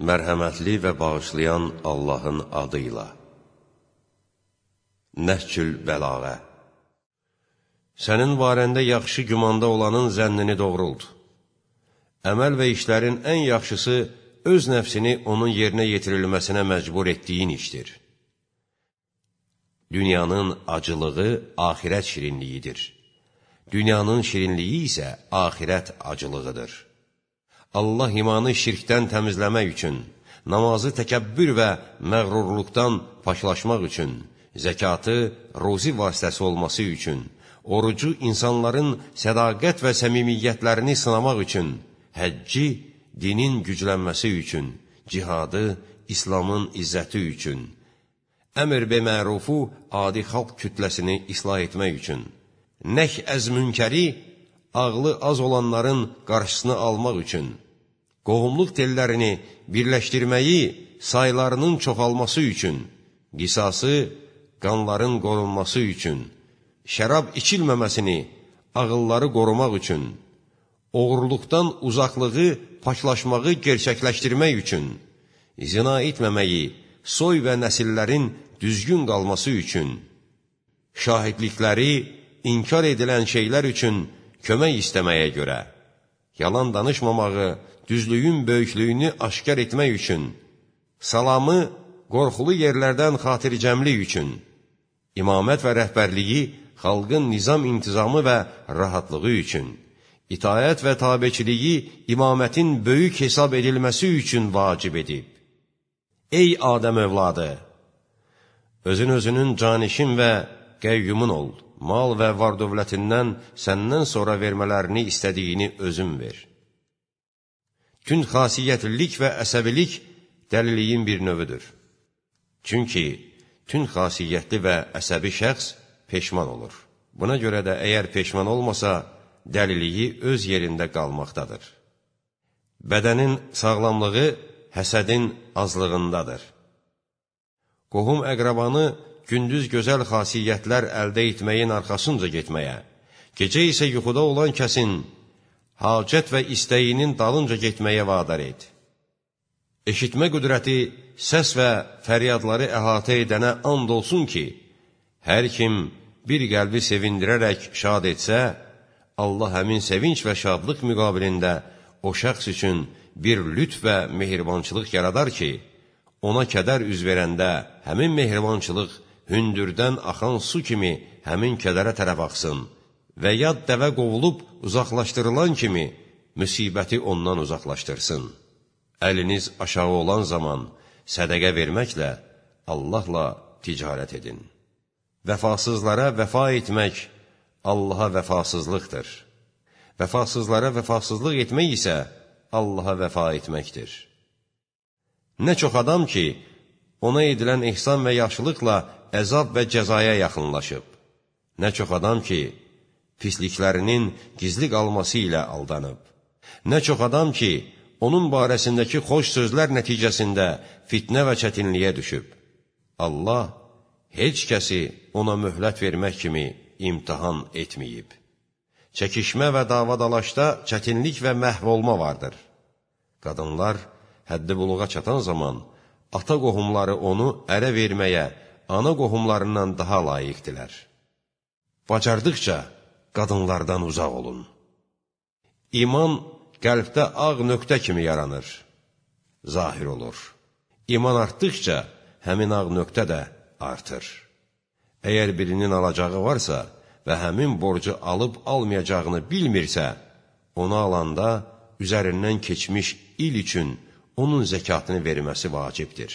Mərhəmətli və bağışlayan Allahın adıyla. Nəhcül Bəlağə. Sənin barəndə yaxşı gümanda olanın zənnini doğrult. Əməl və işlərin ən yaxşısı öz nəfsini onun yerinə yetirilməsinə məcbur etdiyin işdir. Dünyanın acılığı axirət şirinliyidir. Dünyanın şirinliyi isə axirət acılığıdır. Allah imanı şirkdən təmizləmək üçün, namazı təkəbbür və məğrurluqdan paşlaşmaq üçün, zəkatı ruzi vasitəsi olması üçün, orucu insanların sədaqət və səmimiyyətlərini sınamaq üçün, həcci dinin güclənməsi üçün, cihadı İslamın izzəti üçün, əmr və mərufu adi xalq kütləsini islah etmək üçün, nəh əz münkəri ağlı az olanların qarşısını almaq üçün, qohumluq tellərini birləşdirməyi saylarının çoxalması üçün, qisası qanların qorunması üçün, şərab içilməməsini ağılları qorumaq üçün, oğurluqdan uzaqlığı, paçlaşmağı gerçəkləşdirmək üçün, zina etməməyi, soy və nəsillərin düzgün qalması üçün, şahidlikləri inkar edilən şeylər üçün kömək istəməyə görə, yalan danışmamağı, düzlüyün böyüklüyünü aşkar etmək üçün, salamı qorxulu yerlərdən xatircəmlik üçün, imamət və rəhbərliyi xalqın nizam intizamı və rahatlığı üçün, itaət və tabeçiliyi imamətin böyük hesab edilməsi üçün vacib edib. Ey Adəm övladı! Özün-özünün canişin və qəyyumun ol, mal və var dövlətindən səndən sonra vermələrini istədiyini özün ver. Tünd xasiyyətlilik və əsəbilik dəliliyin bir növüdür. Çünki tünd xasiyyətli və əsəbi şəxs peşman olur. Buna görə də əgər peşman olmasa, dəliliyi öz yerində qalmaqdadır. Bədənin sağlamlığı həsədin azlığındadır. Qohum əqrabanı gündüz gözəl xasiyyətlər əldə etməyin arxasınca getməyə, gecə isə yuxuda olan kəsin hacət və istəyinin dalınca getməyə vadar et. Eşitmə qüdrəti səs və fəryadları əhatə edənə and olsun ki, hər kim bir qəlbi sevindirərək şad etsə, Allah həmin sevinç və şadlıq müqabilində o şəxs üçün bir lütf və mehribançılıq yaradar ki, ona kədər üz verəndə həmin mehribançılıq hündürdən axan su kimi həmin kədərə tərəf axsın və yad dəvə qovulub uzaqlaşdırılan kimi müsibəti ondan uzaqlaşdırsın. Əliniz aşağı olan zaman sədəqə verməklə Allahla ticarət edin. Vəfasızlara vəfa etmək Allaha vəfasızlıqdır. Vəfasızlara vəfasızlıq etmək isə Allaha vəfa etməkdir. Nə çox adam ki, ona edilən ehsan və yaxşılıqla əzab və cəzaya yaxınlaşıb. Nə çox adam ki, pisliklərinin gizli qalması ilə aldanıb. Nə çox adam ki, onun barəsindəki xoş sözlər nəticəsində fitnə və çətinliyə düşüb. Allah heç kəsi ona möhlət vermək kimi imtihan etməyib. Çəkişmə və davadalaşda çətinlik və məhv olma vardır. Qadınlar həddi buluğa çatan zaman ata qohumları onu ərə verməyə ana qohumlarından daha layiqdilər. Bacardıqca qadınlardan uzaq olun. İman qəlbdə ağ nöqtə kimi yaranır, zahir olur. İman artdıqca həmin ağ nöqtə də artır. Əgər birinin alacağı varsa və həmin borcu alıb almayacağını bilmirsə, onu alanda üzərindən keçmiş il üçün onun zəkatını verməsi vacibdir.